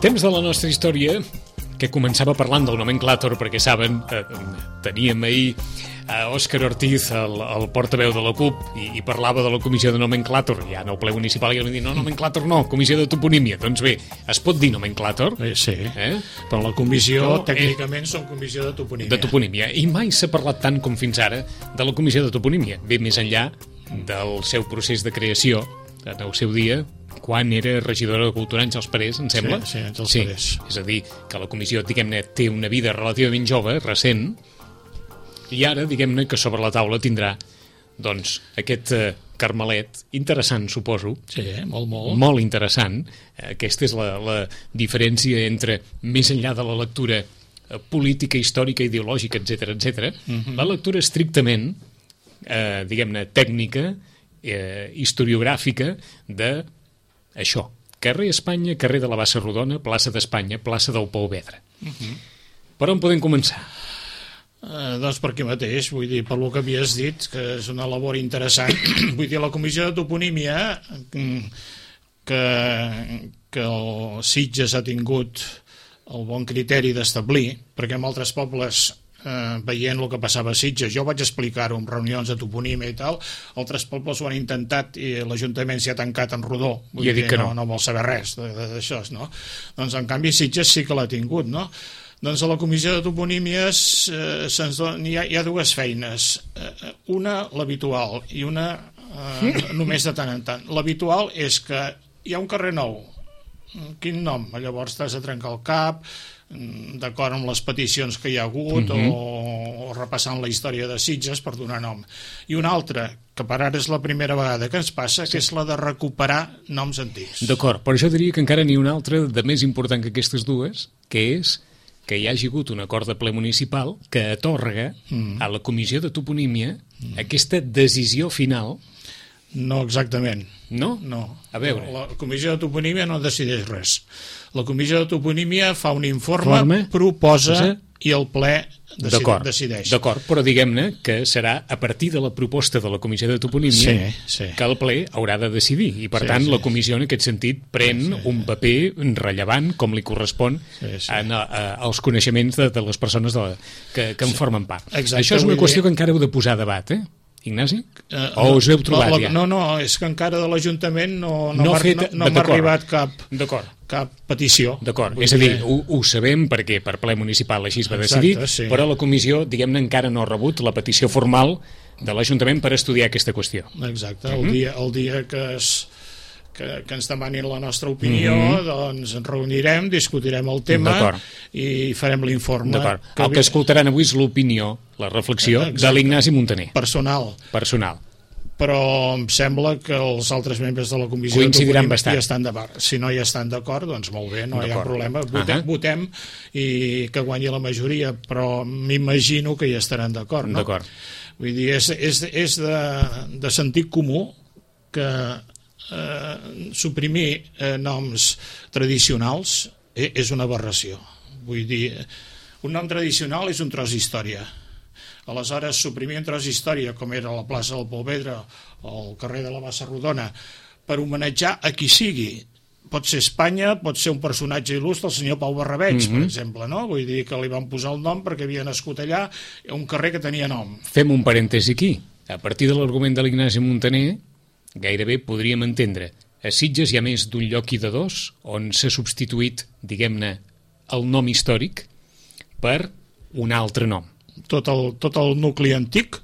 Temps de la nostra història que començava parlant del nomenclàtor, perquè saben, teníem ahir a Òscar Ortiz, el portaveu de la CUP, i parlava de la comissió de nomenclàtor, ja no el ple municipal, i ell va dir, no, nomenclàtor no, comissió de toponímia. Doncs bé, es pot dir nomenclàtor? Sí, però la comissió, tècnicament, són comissió de toponímia. De toponímia, i mai s'ha parlat tant com fins ara de la comissió de toponímia. Bé, més enllà del seu procés de creació, en el seu dia, quan era regidora de Cultura, Àngels Parés, em sembla? Sí, Àngels Parés. És a dir, que la comissió, diguem-ne, té una vida relativament jove, recent, i ara, diguem-ne, que sobre la taula tindrà, doncs, aquest carmelet interessant, suposo. Sí, molt. Molt interessant. Aquesta és la diferència entre, més enllà de la lectura política, històrica, ideològica, etc., la lectura estrictament, diguem-ne, tècnica, historiogràfica de això, carrer Espanya, carrer de la Bassa Rodona, plaça d'Espanya, plaça del Pou Vedra. Per on podem començar? Doncs per aquí mateix, vull dir, per lo que havies dit, que és una labor interessant. Vull dir, la comissió de toponímia que el Sitges ha tingut el bon criteri d'establir, perquè en altres pobles, veient el que passava a Sitges, jo vaig explicar-ho en reunions de toponímia i tal, altres pobles ho han intentat i l'Ajuntament s'hi ha tancat en rodó, vull dir que no vol saber res d'això, no? Doncs en canvi Sitges sí que l'ha tingut, no? Doncs a la comissió de toponímies hi ha dues feines, una l'habitual i una només de tant en tant. L'habitual és que hi ha un carrer nou, quin nom? Llavors t'has de trencar el cap d'acord amb les peticions que hi ha hagut o repassant la història de Sitges per donar nom. I una altra, que per ara és la primera vegada que ens passa, que és la de recuperar noms antics. D'acord, però jo diria que encara n'hi ha una altra de més important que aquestes dues, que és que hi hagi hagut un acord de ple municipal que atorga a la comissió de toponímia aquesta decisió final. No exactament. No? No. A veure. La comissió de toponímia no decideix res. La comissió de toponímia fa un informe, proposa i el ple decideix. D'acord, però diguem-ne que serà a partir de la proposta de la comissió de toponímia que el ple haurà de decidir i per tant la comissió en aquest sentit pren un paper rellevant com li correspon als coneixements de les persones que en formen part. Exacte, això és una qüestió que encara heu de posar a debat, Ignasi? O us heu trobat ja? No, és que encara de l'Ajuntament no m'ha arribat cap petició. D'acord, és a dir, ho sabem perquè per ple municipal així es va decidir, però la comissió, diguem-ne, encara no ha rebut la petició formal de l'Ajuntament per estudiar aquesta qüestió. Exacte, el dia que ens demanin la nostra opinió, doncs ens reunirem, discutirem el tema i farem l'informe. El que escoltaran avui és l'opinió, la reflexió de l'Ignasi Muntaner. Personal. Però em sembla que els altres membres de la comissió coincidiran bastant. Si no hi estan d'acord, doncs molt bé, no hi ha problema. Votem i que guanyi la majoria, però m'imagino que hi estaran d'acord, no? D'acord. Vull dir, és de sentit comú que suprimir noms tradicionals és una aberració. Vull dir, un nom tradicional és un tros d'història. Aleshores, suprimir un tros d'història, com era la plaça del Pou Vedra o el carrer de la Bassa Rodona, per homenatjar a qui sigui, pot ser Espanya, pot ser un personatge il·lustre, el senyor Pau Barrabeig, per exemple, no? Vull dir que li van posar el nom perquè havia nascut allà, un carrer que tenia nom. Fem un parèntesi aquí. A partir de l'argument de l'Ignasi Muntaner, gairebé podríem entendre a Sitges hi ha més d'un lloc i de dos on s'ha substituït, diguem-ne, el nom històric per un altre nom. Tot el nucli antic,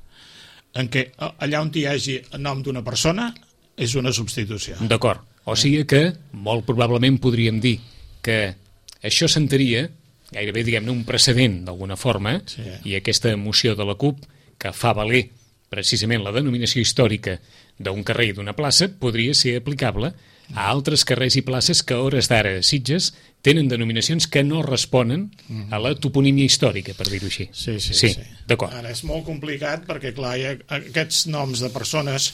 en què allà on hi hagi el nom d'una persona, és una substitució. D'acord. O sigui que, molt probablement podríem dir que això sentaria, gairebé, diguem-ne, un precedent, d'alguna forma, i aquesta moció de la CUP, que fa valer precisament la denominació històrica d'un carrer i d'una plaça, podria ser aplicable a altres carrers i places que a hores d'ara a Sitges tenen denominacions que no responen a la toponímia històrica, per dir-ho així. Sí. D'acord. Ara és molt complicat perquè, clar, aquests noms de persones,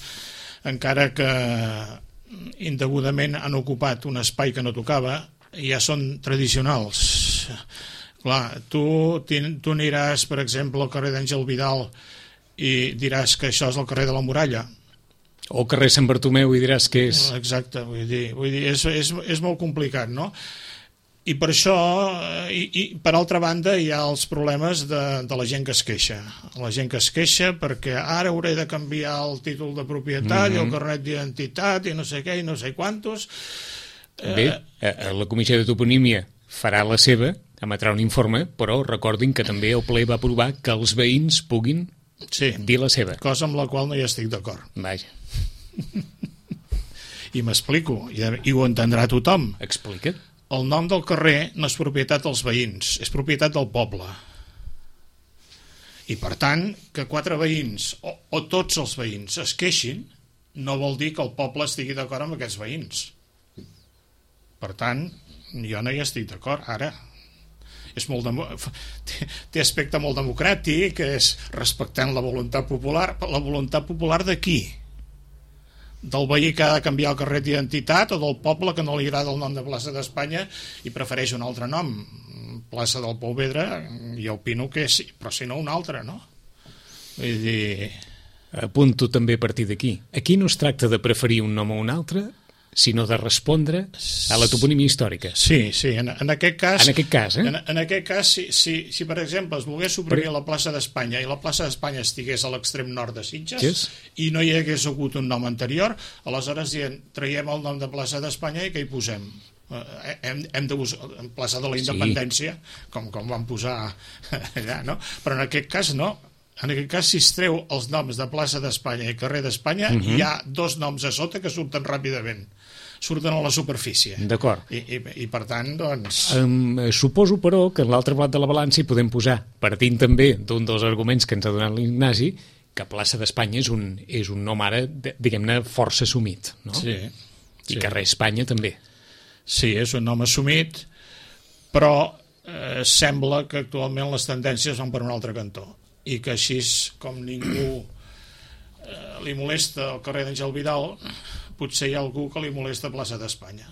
encara que indegudament han ocupat un espai que no tocava, ja són tradicionals. Clar, tu aniràs, per exemple, al carrer d'Àngel Vidal i diràs que això és el carrer de la Muralla. O carrer Sant Bartomeu i diràs que és... Exacte, vull dir és molt complicat, no? I per això, i per altra banda, hi ha els problemes de la gent que es queixa. La gent que es queixa perquè ara hauré de canviar el títol de propietat i el carnet d'identitat i no sé què i no sé quantos. Bé, la Comissió de Toponímia farà la seva, emetrà un informe, però recordin que també el ple va aprovar que els veïns puguin dir la seva. Cosa amb la qual no hi estic d'acord. Vaja. I m'explico, i ho entendrà tothom. Explica't. El nom del carrer no és propietat dels veïns, és propietat del poble. I per tant, que 4 veïns o tots els veïns es queixin no vol dir que el poble estigui d'acord amb aquests veïns. Per tant, jo no hi estic d'acord. Ara, és té aspecte molt democràtic, és respectant la voluntat popular. La voluntat popular de qui? Del veí que ha de canviar el carnet d'identitat o del poble que no li agrada el nom de plaça d'Espanya i prefereix un altre nom, plaça del Pouvedre, jo opino que sí, però si no un altre, no? Vull dir... Apunto també a partir d'aquí. Aquí no es tracta de preferir un nom o un altre, sinó de respondre a la toponímia històrica. Sí, en aquest cas... En aquest cas, En aquest cas, si per exemple es volgués suprimir la plaça d'Espanya i la plaça d'Espanya estigués a l'extrem nord de Sitges i no hi hagués hagut un nom anterior, aleshores traiem el nom de plaça d'Espanya i què hi posem? Hem de buscar en plaça de la independència, com van posar allà, no? Però en aquest cas no. En aquest cas, si es treu els noms de plaça d'Espanya i carrer d'Espanya, hi ha 2 noms a sota que surten ràpidament, surten a la superfície. D'acord. I per tant, doncs... Suposo, però, que en l'altre plat de la balança hi podem posar, partint també d'un dels arguments que ens ha donat l'Ignasi, que plaça d'Espanya és un nom ara, diguem-ne, força assumit, no? Sí. I carrer Espanya també. Sí, és un nom assumit, però sembla que actualment les tendències van per un altre cantó i que així com ningú li molesta el carrer d'Àngel Vidal, potser hi ha algú que li molesta plaça d'Espanya.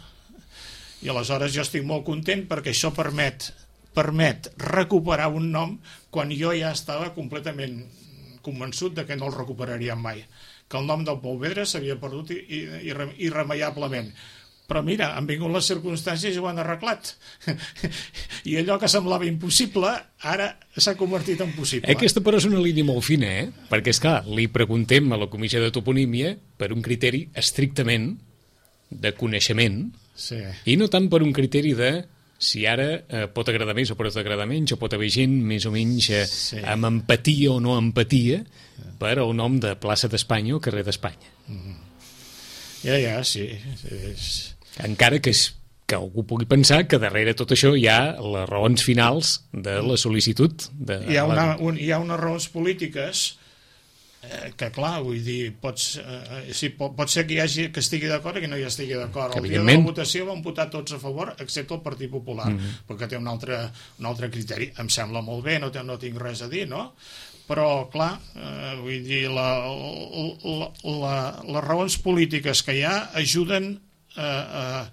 I aleshores jo estic molt content perquè això permet recuperar un nom quan jo ja estava completament convençut de que no el recuperaríem mai, que el nom del Pouvedre s'havia perdut irremeiablement. Però mira, han vingut les circumstàncies i ho han arreglat. I allò que semblava impossible, ara s'ha convertit en possible. Aquesta però és una línia molt fina, Perquè, esclar, li preguntem a la Comissió de Toponímia per un criteri estrictament de coneixement i no tant per un criteri de si ara pot agradar més o pot agradar menys, o pot haver gent més o menys amb empatia o no empatia per el nom de plaça d'Espanya o carrer d'Espanya. Sí. Encara que algú pugui pensar que darrere tot això hi ha les raons finals de la sol·licitud. Hi ha unes raons polítiques que, clar, vull dir, pot ser que hi hagi que estigui d'acord i que no hi estigui d'acord. El dia de la votació van votar tots a favor, excepte el Partit Popular, perquè té un altre criteri. Em sembla molt bé, no tinc res a dir, no? Però, clar, vull dir, les raons polítiques que hi ha ajuden a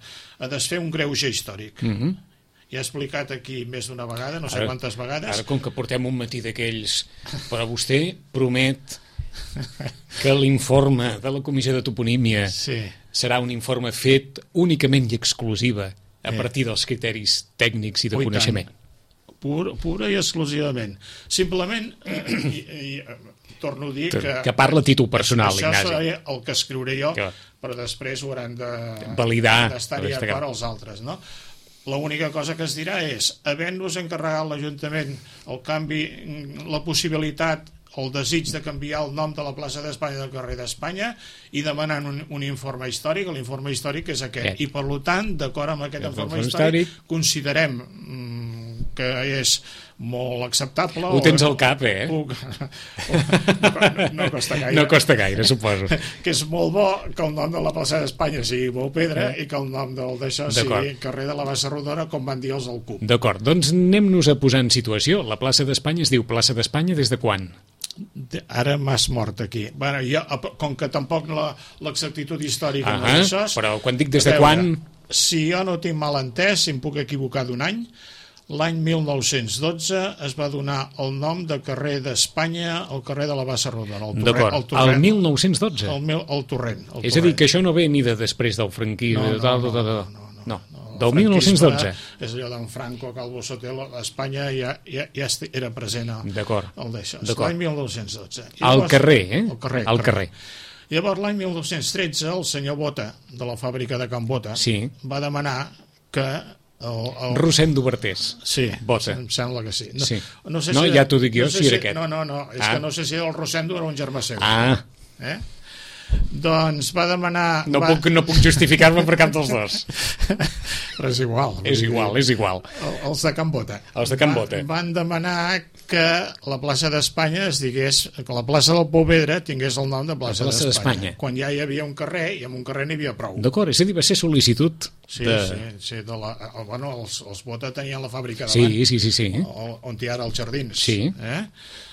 desfer un greuge històric. Ja he explicat aquí més d'una vegada, no sé quantes vegades. Ara, com que portem un matí d'aquells, però vostè promet que l'informe de la Comissió de Toponímia serà un informe fet únicament i exclusiva a partir dels criteris tècnics i de coneixement. Pura i exclusivament. Simplement, torno a dir que parla a títol personal, Ignasi. Això serà el que escriuré jo, però després ho hauran de validar, d'estar-hi d'acord els altres, no? L'única cosa que es dirà és, havent-nos encarregat l'Ajuntament el canvi, la possibilitat, el desig de canviar el nom de la plaça d'Espanya del carrer d'Espanya i demanant un informe històric, l'informe històric és aquest. I per tant, d'acord amb aquest informe històric, considerem que és molt acceptable. Ho tens al cap, No costa gaire. No costa gaire, suposo. Que és molt bo que el nom de la plaça d'Espanya sigui Pouvedre i que el nom d'això sigui carrer de la Bassa Rodona, com van dir els del CUP. D'acord, doncs anem-nos a posar en situació. La plaça d'Espanya es diu plaça d'Espanya des de quan? Ara m'has mort aquí. Bueno, com que tampoc l'exactitud històrica no és això... Però quan dic des de quan... Si jo no tinc mal entès, si em puc equivocar d'un any, l'any 1912 es va donar el nom de carrer d'Espanya al carrer de la Bassa Rodona. D'acord, el 1912? El torrent. És a dir, que això no ve ni de després del franquisme... No. Del 1912. És allò d'en Franco, Calvo Sotelo, a Espanya ja era present D'acord. el d'això. L'any 1912. Al carrer, eh? Al carrer. Llavors, l'any 1913, el senyor Bota, de la fàbrica de Can Bota, va demanar que Rossend d'Obertés. Sí, Bota. em sembla que sí. No, ja t'ho dic jo, si era aquest. No, és que no sé si el Rosendo era un germà seu. Doncs va demanar... No puc justificar-me per cap dels dos. Però és igual. És igual. Els de Can Bota. Els de Can Bota. Van demanar que la plaça d'Espanya es digués, que la plaça del Pouvedre tingués el nom de plaça d'Espanya. Quan ja hi havia un carrer, i en un carrer n'hi havia prou. D'acord, és a dir, va ser sol·licitud. Sí, els Bota tenien la fàbrica davant. Sí. On hi ha ara els jardins. Sí.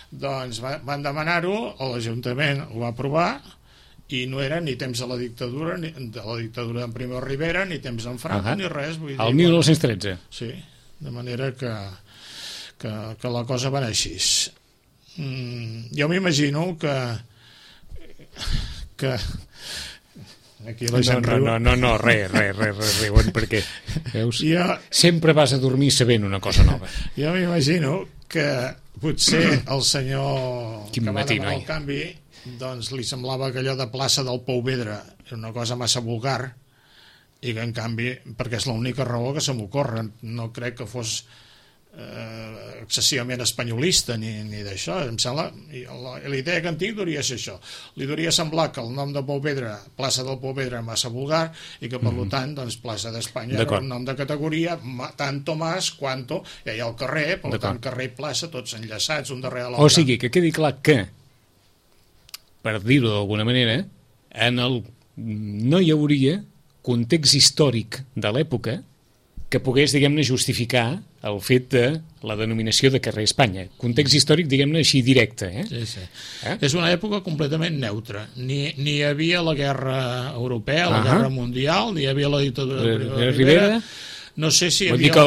Doncs van demanar-ho, l'Ajuntament ho va aprovar, i no era ni temps de la dictadura d'en Primo Rivera, ni temps d'en Franco, ni res. El 1913. Sí, de manera que la cosa va anar així. Jo m'imagino que aquí la gent riu. No, res, riuen, perquè veus, sempre vas a dormir sabent una cosa nova. Jo m'imagino que potser el senyor que va demanar el canvi, doncs li semblava que allò de plaça del Pouvedre era una cosa massa vulgar, i que en canvi, perquè és l'única raó que se m'ocorre, no crec que fos excessivament espanyolista ni d'això, em sembla, la idea que en tinc hauria ser això, li hauria semblar que el nom de Pouvedre, plaça del Pouvedre, massa vulgar, i que per tant, doncs, plaça d'Espanya era un nom de categoria, tanto más quanto, ja hi ha el carrer, per tant, carrer i plaça, tots enllaçats, un darrere l'altre. O sigui, que quedi clar que, per dir-ho d'alguna manera, no hi hauria context històric de l'època que pogués, diguem-ne, justificar el fet de la denominació de carrer Espanya. Context històric, diguem-ne, així directe. Sí. És una època completament neutra. Ni hi havia la guerra europea, la guerra mundial, ni hi havia la dictadura de Rivera. No sé si hi havia... Vull dir que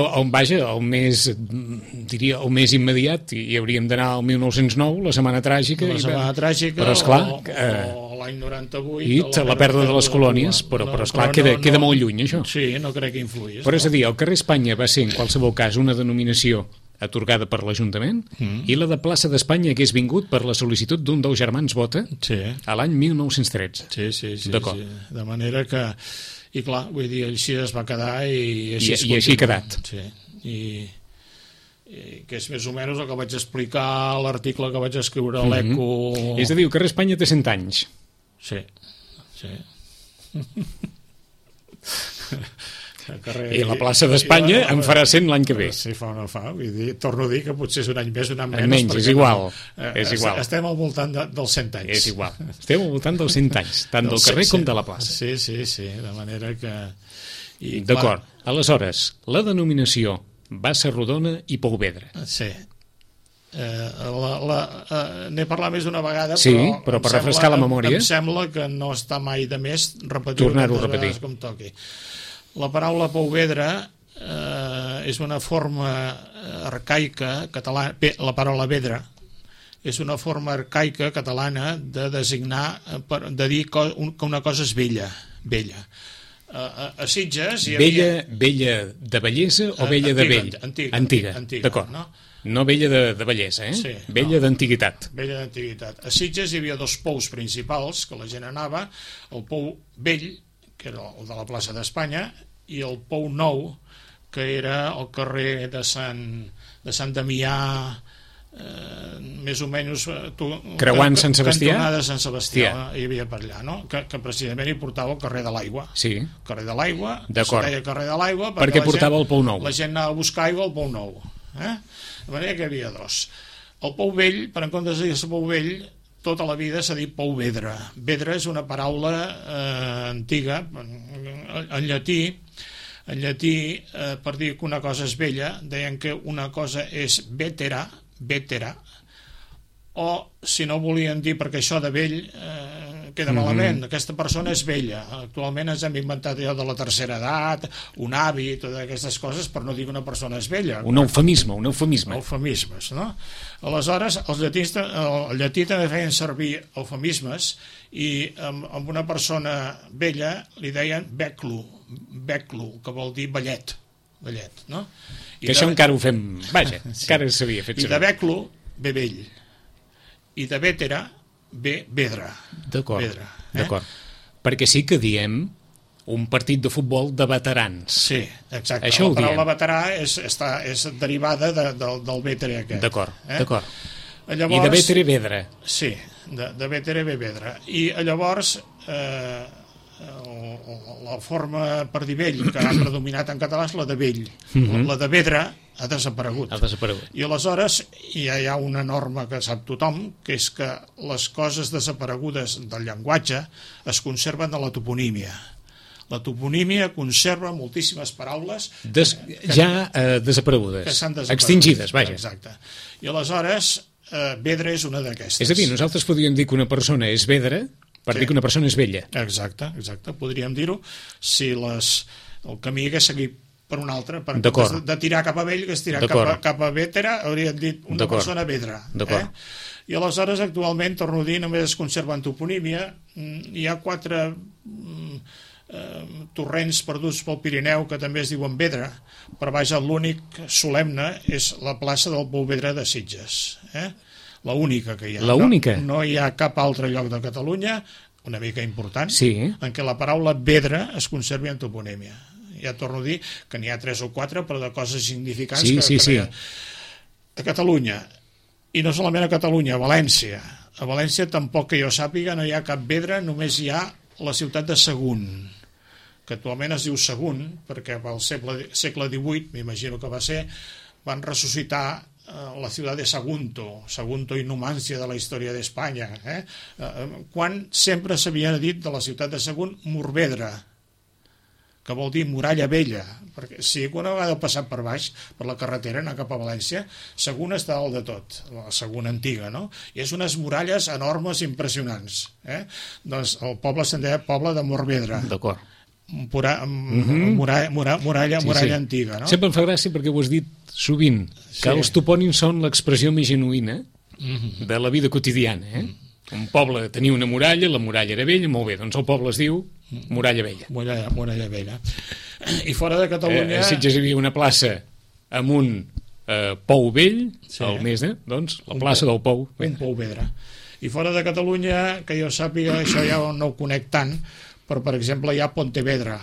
el més immediat, i hauríem d'anar al 1909, la Setmana Tràgica, però esclar, o l'any 98... I la pèrdua de les colònies, però esclar, queda molt lluny, això. Sí, no crec que influís. Però és a dir, el carrer Espanya va ser, en qualsevol cas, una denominació atorgada per l'Ajuntament, i la de plaça d'Espanya hagués vingut per la sol·licitud d'un dels germans Bota a l'any 1913. Sí. De manera que... I clar, vull dir, així es va quedar i així ha quedat. Sí. I que és més o menys el que vaig explicar a l'article que vaig escriure a l'Eco. És a dir, el carrer Espanya té 100 anys. Sí. I la plaça d'Espanya en farà 100 l'any que ve. Sí, fa o no fa. Vull dir, torno a dir que potser és un any més, un any menys. És igual. Estem al voltant dels 100 anys. És igual. Estem al voltant dels 100 anys, tant del carrer com de la plaça. Sí. De manera que... D'acord. Aleshores, la denominació Bassa Rodona i Pouvedre. Sí. N'he parlat més d'una vegada, però per refrescar la memòria em sembla que no està mai de més tornar-ho a repetir com toqui. La paraula Pouvedre és una forma arcaica catalana, la paraula vedra és una forma arcaica catalana de designar, de dir que una cosa és vella. A Sitges hi havia... Vella de bellesa o vella de vell? Antiga, d'acord. No vella de bellesa, vella d'antiguitat. Vella d'antiguitat. A Sitges hi havia dos pous principals que la gent anava, el pou vell, que era el de la plaça d'Espanya, i el pou nou, que era el carrer de Sant Damià, més o menys creuant Sant Sebastià, cantonada Sant Sebastià, hi havia per allà, no? Que precisament hi portava el carrer de l'Aigua. Sí. Carrer de l'Aigua, d'acord. Se deia carrer de l'Aigua perquè portava el pou nou. La gent anava a buscar aigua al pou nou. De manera que hi havia dos. El pou vell, per en comptes de dir-se pou vell, tota la vida s'ha dit Pouvedre. Vedre és una paraula antiga, en llatí, per dir que una cosa és vella, deien que una cosa és vetera, o si no volien dir perquè això de vell queda malament, aquesta persona és vella. Actualment ens hem inventat allò de la tercera edat, un avi, totes aquestes coses, per no dir que una persona és vella. Un eufemisme. Eufemismes, no? Aleshores, el llatí també feien servir eufemismes, i amb una persona vella li deien beclu, Beclo, que vol dir ballet, no? Que això encara ho fem, vaja, encara s'havia fet servir. I de Beclo ve vell, i de Vétera ve vedra. D'acord, d'acord. Perquè sí que diem un partit de futbol de veterans. Sí, exacte. Això la paraula veterà és derivada del vétere aquest. D'acord, d'acord. Llavors, i de vétere vedra. Sí, de vétere ve vedra. I llavors la forma per dir vell que ha predominat en català és la de vell. La de vedra ha desaparegut. I aleshores hi ha una norma que sap tothom, que és que les coses desaparegudes del llenguatge es conserven a la toponímia. La toponímia conserva moltíssimes paraules desaparegudes, que s'han desaparegut. Extingides, vaja. Exacte. I aleshores, vedra és una d'aquestes. És a dir, nosaltres podríem dir que una persona és vedra per dir que una persona és vella. Exacte, podríem dir-ho si el camí hagués seguit per un altre, per de tirar cap a vell, que es tirar cap a vétera, hauríem dit una persona vedra. I aleshores, actualment, torno a dir, només es conserva en toponímia, hi ha 4 torrents perduts pel Pirineu que també es diuen Vedra, però vaja, l'únic solemne és la plaça del Pou Vedra de Sitges, la única que hi ha. No hi ha cap altre lloc de Catalunya, una mica important, en què la paraula vedra es conservi en toponímia. Ja torno a dir que n'hi ha 3 o 4, però de coses significants que a Catalunya, i no solament a Catalunya, a València. A València tampoc que jo sàpiga no hi ha cap vedra, només hi ha la ciutat de Sagunt, que actualment es diu Sagunt, perquè pel segle XVIII, m'imagino que va ser, van ressuscitar la ciutat de Sagunto i Numància de la història d'Espanya, quan sempre s'havia dit de la ciutat de Sagunt Morvedra, que vol dir muralla vella, perquè si una vegada passat per baix, per la carretera, anar cap a València, Sagunt està dalt de tot, la Sagunt antiga, no? I és unes muralles enormes i impressionants. Doncs el poble se'n deia poble de Morvedra. D'acord. Muralla antiga, no? Sempre em fa gràcia perquè ho has dit sovint, que els topònims són l'expressió més genuïna de la vida quotidiana, Un poble tenia una muralla, la muralla era vella, molt bé, doncs el poble es diu Muralla Vella. Muralla Vella. I fora de Catalunya... A Sitges hi havia una plaça amb un pou vell, al mes, doncs, la plaça del Pou. Un Pou Vedra. I fora de Catalunya, que jo sàpiga, això ja no ho conec tant, però, per exemple, hi ha Pontevedra.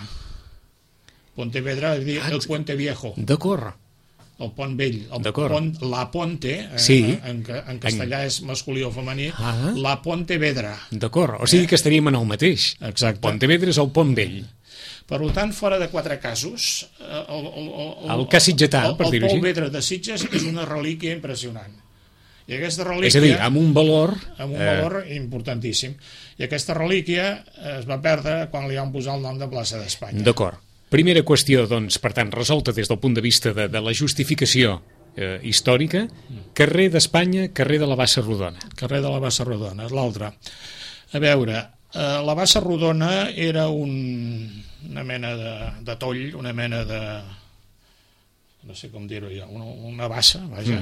Pontevedra és dir el Puente Viejo. D'acord. El pont vell, la ponte, en castellà és masculí o femení, la Ponte Vedra. D'acord, o sigui que estaríem en el mateix. Exacte. Pontevedra és el pont vell. Per tant, fora de 4 casos, el cas sitgetà, per dir-ho així. El Pou Vedra de Sitges és una relíquia impressionant. I aquesta relíquia... És a dir, amb un valor... Amb un valor importantíssim. I aquesta relíquia es va perdre quan li van posar el nom de plaça d'Espanya. D'acord. Primera qüestió, doncs, per tant, resolta des del punt de vista de la justificació històrica, carrer d'Espanya, carrer de la Bassa Rodona. Carrer de la Bassa Rodona, és l'altre. A veure, la Bassa Rodona era una mena de toll, una mena de... no sé com dir-ho jo, una bassa, vaja,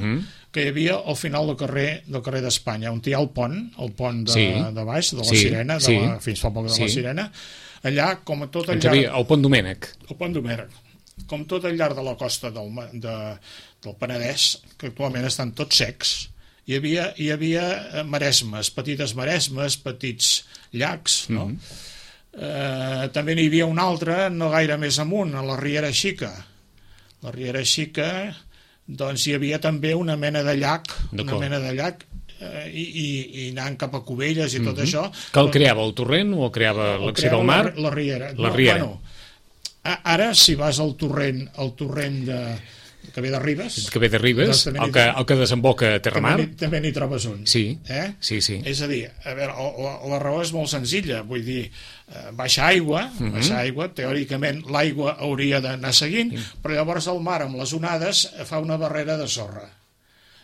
que hi havia al final del carrer d'Espanya, on hi ha el pont de baix, de la Sirena, fins fa poc de la Sirena, allà, com a tot al llarg... El pont Domènec. El pont Domènec. Com tot al llarg de la costa del Penedès, que actualment estan tots secs, hi havia maresmes, petites maresmes, petits llacs, no? També n'hi havia un altre, no gaire més amunt, a la Riera Xica. La Riera Xica, doncs hi havia també una mena de llac, i anant cap a Cubelles i tot això. Que el creava el torrent o el creava l'accés al mar? La Riera. Bueno, ara, si vas al torrent que ve de Ribes... Que ve de Ribes, el que desemboca a Terramar. També n'hi trobes un. Sí. És a dir, la raó és molt senzilla, vull dir, baixa aigua, teòricament l'aigua hauria d'anar seguint, però llavors el mar amb les onades fa una barrera de sorra.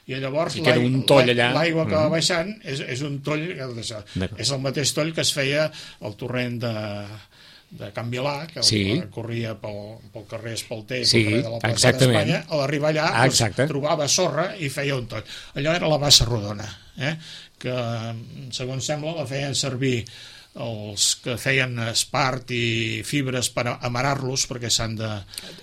I llavors l'aigua que va baixant és un toll, és el mateix toll que es feia al torrent de Can Vilà, que corria pel carrer Espalter, pel carrer de la plaça d'Espanya. A l'arribar allà trobava sorra i feia un toll. Allò era la Bassa Rodona, que segons sembla la feien servir els que feien espart i fibres per amarar-los, perquè s'han de...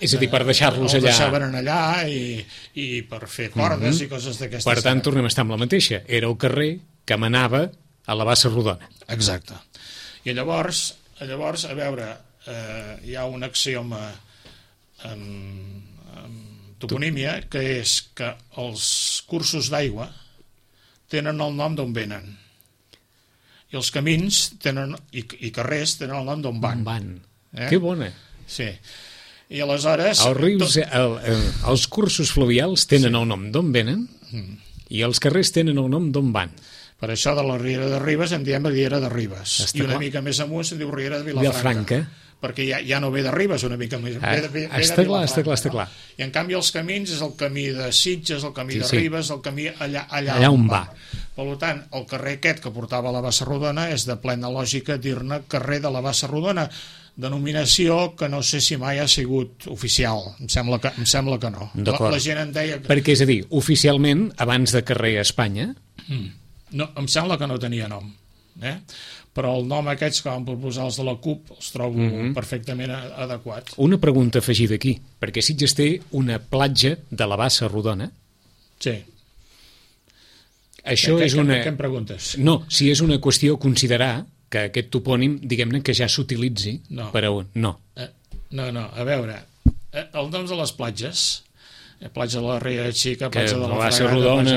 És a dir, per deixar-los allà... Els deixaven allà i per fer cordes i coses d'aquestes. Per tant, tornem a estar amb la mateixa. Era el carrer que manava a la Bassa Rodona. Exacte. I llavors a veure, hi ha un axioma en toponímia, que és que els cursos d'aigua tenen el nom d'on venen. I els camins i carrers tenen el nom d'on van. Que bona. Sí. I aleshores... Els rius, els cursos fluvials tenen el nom d'on venen i els carrers tenen el nom d'on van. Per això de la Riera de Ribes en diem Riera de Ribes. I una mica més amunt se'n diu Riera de Vilafranca. Perquè ja no ve de Ribes, una mica més. Està clar. I en canvi els camins és el camí de Sitges, el camí de Ribes, el camí allà on va. Per tant, el carrer aquest que portava a la Bassa Rodona és de plena lògica dir-ne carrer de la Bassa Rodona, denominació que no sé si mai ha sigut oficial. Em sembla que no. La gent en deia... Perquè, és a dir, oficialment, abans de carrer Espanya... No, em sembla que no tenia nom. Però el nom aquests que van proposar els de la CUP els trobo perfectament adequats. Una pregunta afegida aquí, perquè Sitges té una platja de la Bassa Rodona. Sí. Això és una... Què em preguntes? No, si és una qüestió considerar que aquest topònim, diguem-ne, que ja s'utilitzi per a un... No. No, a veure, els noms de les platges, platja de la Riera Xica, platja de la Bassa Rodona,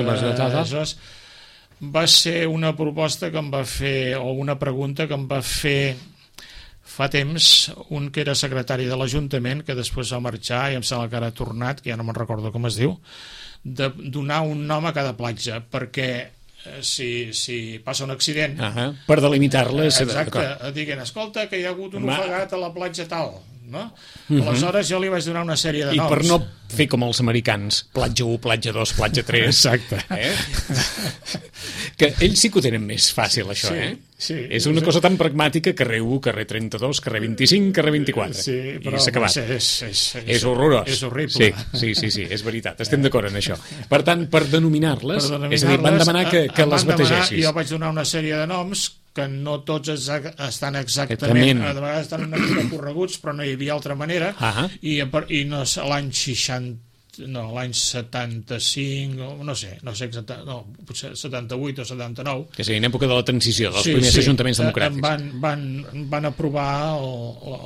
va ser una proposta que em va fer, o una pregunta que em va fer fa temps un que era secretari de l'Ajuntament, que després va marxar i em sembla que ara ha tornat, que ja no me'n recordo com es diu, de donar un nom a cada platja, perquè si passa un accident... Per delimitar-les... Exacte, diguin, escolta, que hi ha hagut un ofegat a la platja tal... No? Aleshores jo li vaig donar una sèrie de noms. I per no fer com els americans, platja 1, platja 2, platja 3. Exacte. Que ells sí que ho tenen més fàcil, això, Sí, és una cosa tan pragmàtica, carrer 1, carrer 32, carrer 25, carrer 24. Sí, però s'ha acabat. És horrorós. És horrible. Sí, és veritat, estem d'acord en això. Per tant, per denominar-les, és a dir, van demanar que les bategessis. Jo vaig donar una sèrie de noms que no tots estan exactament, a vegades estan una mica correguts, però no hi havia altra manera, i no, l'any 60, no, l'any 75, no sé exactament, no, potser 78 o 79. És a dir, en època de la transició, dels primers ajuntaments democràtics. Van aprovar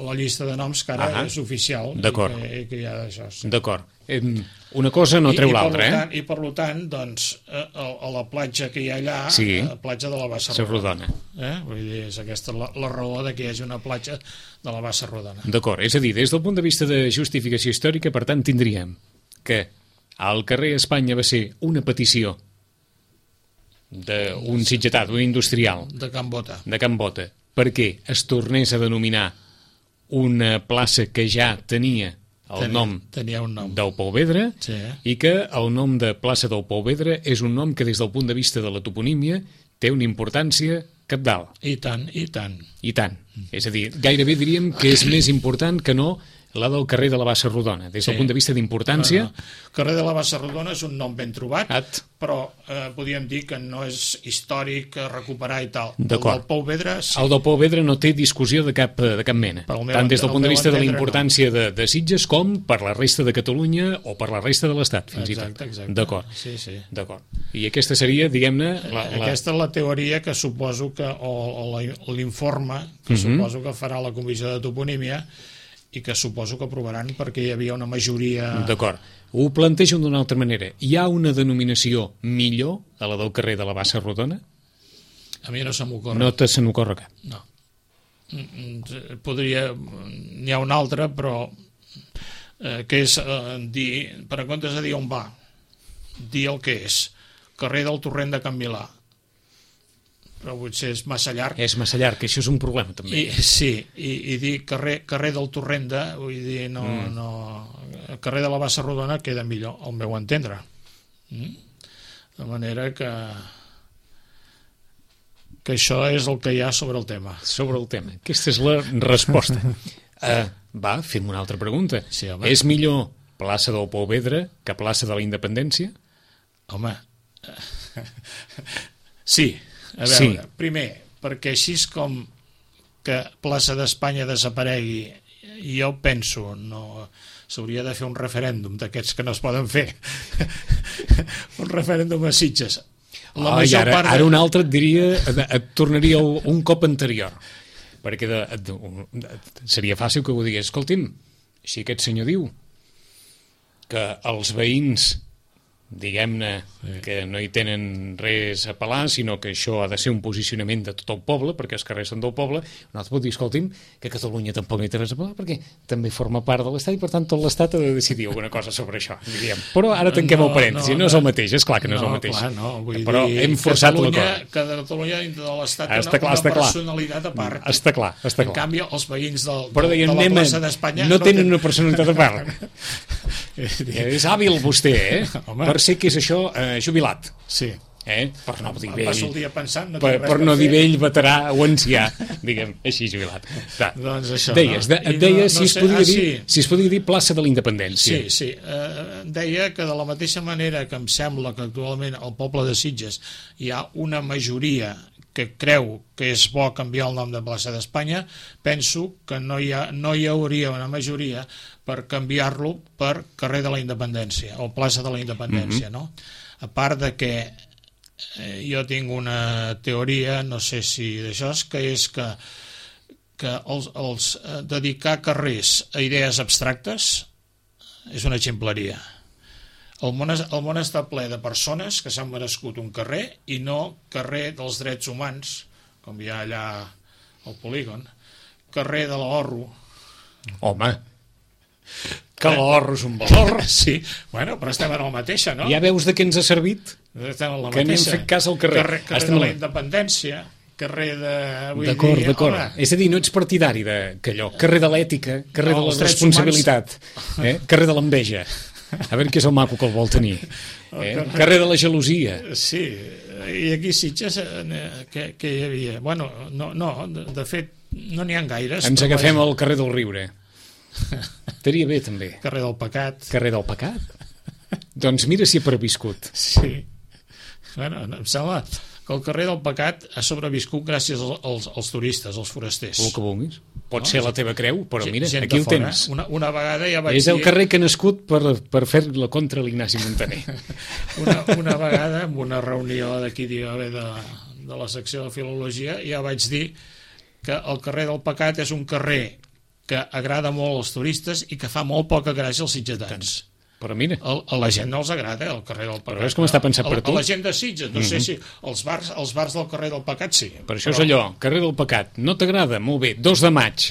la llista de noms que ara és oficial. D'acord. Que hi ha d'això. D'acord. Una cosa no treu l'altra, I per tant, doncs, a la platja que hi ha allà, la platja de la Bassa Rodona. Vull dir, és aquesta la raó de que hi hagi una platja de la Bassa Rodona. D'acord, és a dir, des del punt de vista de justificació històrica, per tant, tindríem que al carrer Espanya va ser una petició d'un sitgetà, d'un industrial de Can Bota, perquè es tornés a denominar una plaça que ja tenia un nom del Pouvedre, i que el nom de plaça del Pouvedre és un nom que des del punt de vista de la toponímia té una importància cabdal. I tant. És a dir, gairebé diríem que és més important que no la del carrer de la Bassa Rodona, des del punt de vista d'importància. Carrer de la Bassa Rodona és un nom ben trobat, però podríem dir que no és històric recuperar i tal. El del Pouvedre sí. El del Pouvedre no té discussió de cap mena, tant des del punt de vista de la importància de Sitges com per la resta de Catalunya o per la resta de l'Estat, fins i tot. Exacte. D'acord. I aquesta seria, diguem-ne... Aquesta és la teoria que suposo que, o l'informe que suposo que farà la Comissió de Toponímia, i que suposo que aprovaran perquè hi havia una majoria... D'acord. Ho plantejo d'una altra manera. Hi ha una denominació millor a la del carrer de la Bassa Rodona? A mi no se m'ocorre. No se n'ocorre cap? No. N'hi ha una altra, però que és dir, per en comptes de dir on va, dir el que és. Carrer del Torrent de Can Milà. Però potser és massa llarg. És massa llarg, que això és un problema també. I dir carrer del Torrent de, vull dir, no, el carrer de la Bassa Rodona queda millor, al meu entendre. De manera que això és el que hi ha sobre el tema. Sobre el tema. Aquesta és la resposta. Fem una altra pregunta. Sí, és millor plaça del Pouvedre que plaça de la Independència? Home, sí. A veure, primer, perquè així com que plaça d'Espanya desaparegui, jo penso, no, s'hauria de fer un referèndum d'aquests que no es poden fer. Un referèndum a Sitges. Ara un altre et diria, et tornaria un cop anterior, perquè seria fàcil que ho digués. Escolti'm, si aquest senyor diu que els veïns, diguem-ne, que no hi tenen res a pelar, sinó que això ha de ser un posicionament de tot el poble, perquè els carrers són del poble, un altre pot dir, escolti'm, que Catalunya tampoc no hi té res a pelar, perquè també forma part de l'Estat i, per tant, tot l'Estat ha de decidir alguna cosa sobre això, diríem. Però ara tanquem el parèntesi, no és el mateix, és clar que no és el mateix. Però hem forçat l'acord. Que Catalunya dintre de l'Estat té una personalitat a part. Està clar. En canvi, els veïns de la plaça d'Espanya no tenen una personalitat a part. És hàbil vostè, per ser que és això, jubilat. Sí. Per no dir vell. Passo el dia pensant, per no dir vell, veterà o ancià, diguem, així jubilat. Doncs això. Et deia si es podria dir plaça de la Independència. Sí. Deia que de la mateixa manera que em sembla que actualment al poble de Sitges hi ha una majoria que creu que és bo canviar el nom de plaça d'Espanya, penso que no hi hauria una majoria per canviar-lo per carrer de la Independència o plaça de la Independència, no? A part de que jo tinc una teoria, no sé si d'això, que és que els dedicar carrers a idees abstractes és una ximpleria. El món està ple de persones que s'han merescut un carrer i no carrer dels drets humans, com hi ha allà al polígon, carrer de l'Orro. Home, que l'Orro és un valor. Sí, bueno, però estem en la mateixa, no? Ja veus de què ens ha servit? Estem en la que n'hem fet cas al carrer. Carrer de la Independència, carrer de... D'acord. És a dir, no ets partidari que allò, carrer de l'ètica, carrer de la responsabilitat, carrer de l'enveja. A veure què és el maco que el vol tenir. Carrer de la gelosia. Sí, i aquí Sitges que hi havia... Bueno, no, de fet, no n'hi ha gaires. Ens agafem al carrer del Riure. Estaria bé, també. Carrer del Pecat. Carrer del Pecat? Doncs mira si ha perviscut. Sí. Bueno, em sembla que el carrer del Pecat ha sobreviscut gràcies als turistes, als forasters. El que vulguis. Pot ser la teva creu, però mira, aquí el tens. Una vegada ja vaig dir... És el carrer que ha nascut per fer-la contra l'Ignasi Montaner. Una vegada, en una reunió d'aquí de la secció de Filologia, ja vaig dir que el carrer del Pecat és un carrer que agrada molt als turistes i que fa molt poca gràcia als sitgetans. Però mira... A la gent no els agrada, el carrer del Pecat. Però és com està pensat per tu. A la gent de Sitges, no sé si els bars del carrer del Pecat sí. Per això és allò, carrer del Pecat, no t'agrada? Molt bé, 2 de maig.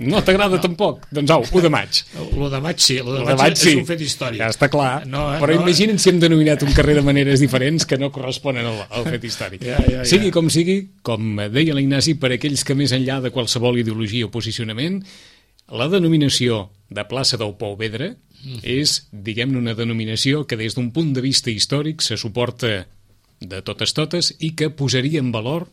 No t'agrada tampoc? Doncs au, 1 de maig. L'1 de maig sí, l'1 de maig és un fet històric. Ja està clar, però imagina't si hem denominat un carrer de maneres diferents que no corresponen al fet històric. Sigui com sigui, com deia l'Ignasi, per aquells que més enllà de qualsevol ideologia o posicionament, la denominació de plaça del Pou Vedre és, diguem-ne, una denominació que des d'un punt de vista històric se suporta de totes i que posaria en valor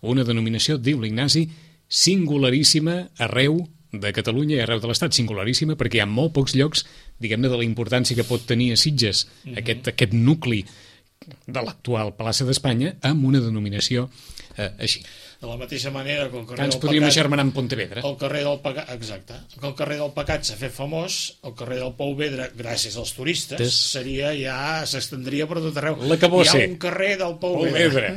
una denominació, diu l'Ignasi, singularíssima arreu de Catalunya i arreu de l'Estat, singularíssima perquè hi ha molt pocs llocs, diguem-ne, de la importància que pot tenir a Sitges aquest nucli de l'actual plaça d'Espanya amb una denominació així. De la mateixa manera que el carrer del Pecat... Ens podríem agermanar en Pontevedra. El carrer del Pecat, exacte. Que el carrer del Pecat s'ha fet famós, el carrer del Pou Vedre, gràcies als turistes, s'estendria per tot arreu. Hi ha un carrer del Pou Vedre.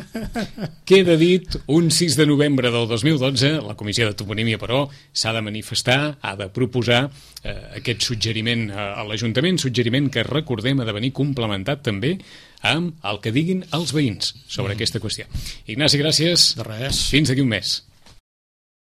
Queda dit, un 6 de novembre del 2012, la Comissió de Toponímia, però, s'ha de manifestar, ha de proposar aquest suggeriment a l'Ajuntament, suggeriment que, recordem, ha de venir complementat també amb el que diguin els veïns sobre aquesta qüestió. Ignasi, gràcies. De res. Fins d'aquí un mes.